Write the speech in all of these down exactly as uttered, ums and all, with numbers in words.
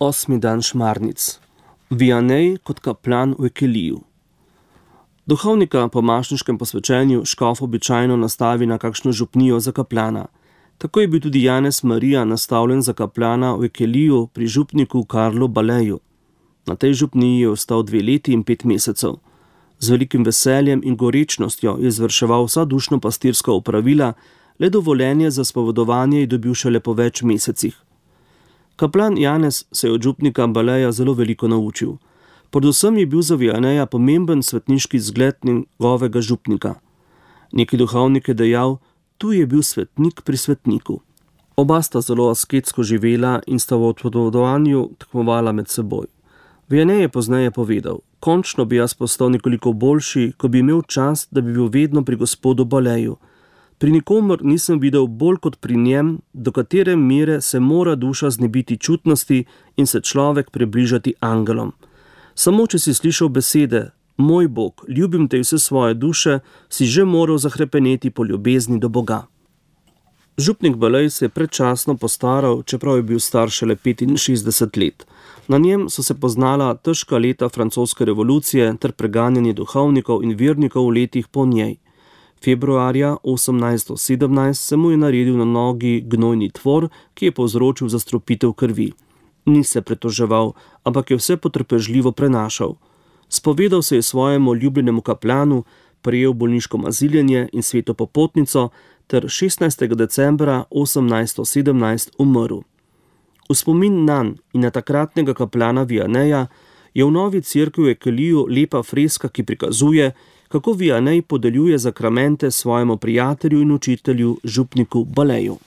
Osmi dan šmarnic. Vianney kot kaplan v Ekeliju. Duhovnika po mašniškem posvečenju škof običajno nastavi na kakšno župnijo za kaplana. Tako je bil tudi Janez Marija nastavljen za kaplana v Ekeliju pri župniku Karlu Baleju. Na tej župniji je ostal dve leti in pet mesecev. Z velikim veseljem in gorečnostjo je izvrševal vsa dušno-pastirska opravila, le dovoljenje za spovedovanje je dobil šele po več mesecih. Kaplan Janez se je od župnika Baleja zelo veliko naučil. Predvsem je bil za Vianneja pomemben svetniški zgled njegovega župnika. Neki duhovnik je dejal, tu je bil svetnik pri svetniku. Oba sta zelo asketsko živela in sta v odpovedovanju tekmovala med seboj. Vianney je pozneje povedal, končno bi jaz postal nekoliko boljši, ko bi imel čas, da bi bil vedno pri gospodu Baleju. Pri nikomer nisem videl bolj kot pri njem, do katere mere se mora duša znebiti čutnosti in se človek približati angelom. Samo če si slišal besede, moj Bog, ljubim te vse svoje duše, si že moral zahrepeneti po ljubezni do Boga. Župnik Balej se je predčasno postaral, čeprav je bil star šele petinšestdeset let. Na njem so se poznala težka leta francoske revolucije ter preganjanje duhovnikov in vernikov v letih po njej. Februarja osemnajststo sedemnajst se mu je naredil na nogi gnojni tvor, ki je povzročil zastrupitev krvi. Ni se pretoževal, ampak je vse potrpežljivo prenašal. Spovedal se je svojemu ljubljenemu kaplanu, prejel bolniško maziljenje in sveto popotnico ter šestnajstega decembra osemnajststo sedemnajst umrl. V spomin nanj in na takratnega kaplana Vianneja je v novi cerkvi v Ekeliju lepa freska, ki prikazuje, kako Vianney podeljuje zakramente svojemu prijatelju in učitelju, župniku Baleju.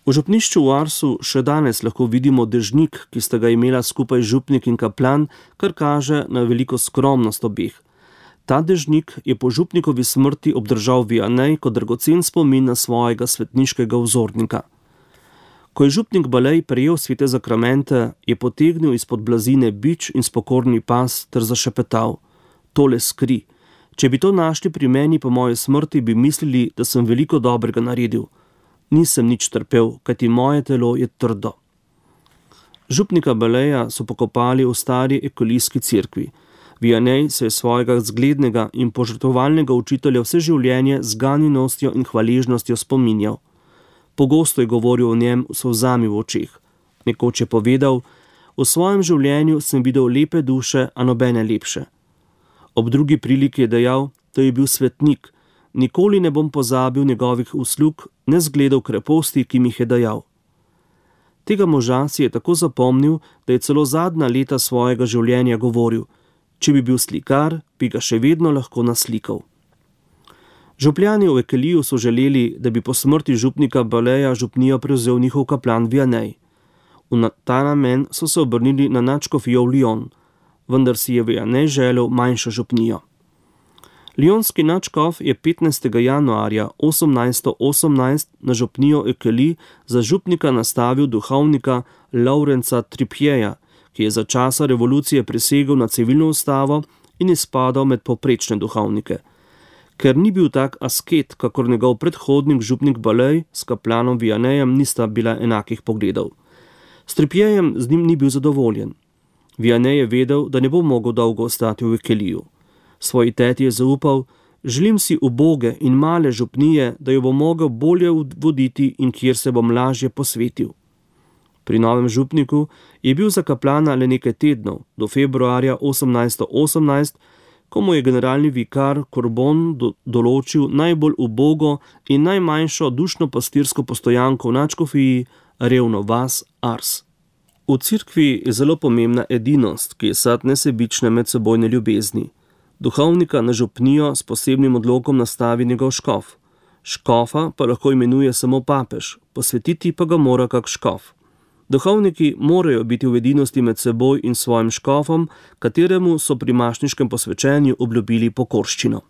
V župnišču v Arsu še danes lahko vidimo dežnik, ki sta ga imela skupaj župnik in kaplan, kar kaže na veliko skromnost obeh. Ta dežnik je po župnikovi smrti obdržal Vianney kot dragocen spomin na svojega svetniškega vzornika. Ko je župnik Balej prejel svete zakramente, je potegnil izpod blazine bič in spokorni pas ter zašepetal: tole skri. Če bi to našli pri meni po moji smrti, bi mislili, da sem veliko dobrega naredil. Nisem nič trpel, kajti moje telo je trdo. Župnika Baleja so pokopali v stari ekelijski cerkvi. Vianney se je svojega zglednega in požrtvovalnega učitelja vse življenje z ganjenostjo in hvaležnostjo spominjal. Pogosto je govoril o njem s solzami v očeh. Nekoč je povedal: v svojem življenju sem videl lepe duše, a nobene lepše. Ob drugi priliki je dejal, da je bil svetnik, nikoli ne bom pozabil njegovih uslug, ne zgledov kreposti, ki mi jih je dajal. Tega moža si je tako zapomnil, da je celo zadnja leta svojega življenja govoril: če bi bil slikar, bi ga še vedno lahko naslikal. Župljani v Ekeliju so želeli, da bi po smrti župnika Baleja župnijo prevzel njihov kaplan Vianney. V ta namen so se obrnili na nadškofijo v Lyon, vendar si je Vianney želel manjšo župnijo. Lyonski nadškof je petnajstega januarja osemnajststo osemnajst na župnijo Ekeli za župnika nastavil duhovnika Laurenca Tripieja, ki je za časa revolucije prisegel na civilno ustavo in izpadal med povprečne duhovnike. Ker ni bil tak asket, kakor njegov predhodnik župnik Balej, s kaplanom Vianneyjem nista bila enakih pogledov. S Tripiejem z njim ni bil zadovoljen. Vianney je vedel, da ne bo mogel dolgo ostati v Ekeliju. Svoji teti je zaupal: želim si uboge in male župnije, da jo bo mogel bolje voditi in kjer se bom lažje posvetil. Pri novem župniku je bil za kaplana le nekaj tednov, do februarja osemnajststo osemnajst, ko mu je generalni vikar Corbon do, določil najbolj ubogo in najmanjšo dušno-pastirsko postojanko v nadškofiji, revno vas Ars. V cerkvi je zelo pomembna edinost, ki je sad nesebične medsebojne ljubezni. Duhovnika na župnijo s posebnim odlokom nastavi njegov škof. Škofa pa lahko imenuje samo papež, posvetiti pa ga mora kak škof. Duhovniki morajo biti v edinosti med seboj in svojim škofom, kateremu so pri mašniškem posvečenju obljubili pokorščino.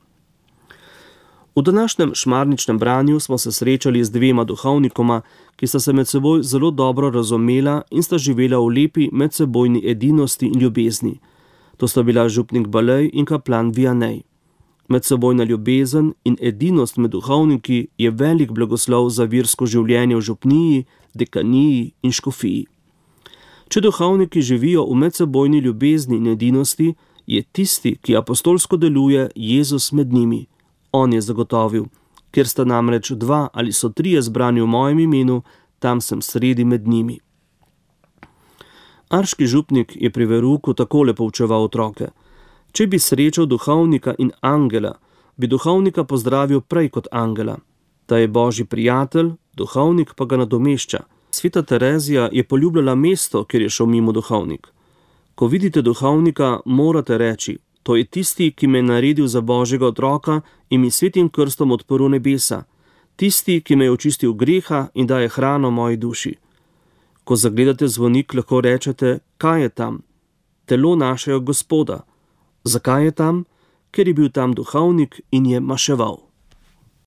V današnjem šmarničnem branju smo se srečali z dvema duhovnikoma, ki sta se med seboj zelo dobro razumela in sta živela v lepi medsebojni edinosti in ljubezni. To sta bila župnik Balej in kaplan Vianney. Medsebojna ljubezen in edinost med duhovniki je velik blagoslov za versko življenje v župniji, dekaniji in škofiji. Če duhovniki živijo v medsebojni ljubezni in edinosti, je tisti, ki apostolsko deluje, Jezus med njimi. On je zagotovil: kjer sta namreč dva ali so trije zbrani v mojem imenu, tam sem sredi med njimi. Arški župnik je pri verouku takole poučeval otroke: če bi srečal duhovnika in angela, bi duhovnika pozdravil prej kot angela. Ta je božji prijatelj, duhovnik pa ga nadomešča. Sveta Terezija je poljubljala mesto, kjer je šel mimo duhovnik. Ko vidite duhovnika, morate reči: to je tisti, ki me je naredil za božjega otroka in mi svetim krstom odprl nebesa, tisti, ki me je očistil greha in daje hrano moji duši. Ko zagledate zvonik, lahko rečete: kaj je tam? Telo našega Gospoda. Zakaj je tam? Ker je bil tam duhovnik in je maševal.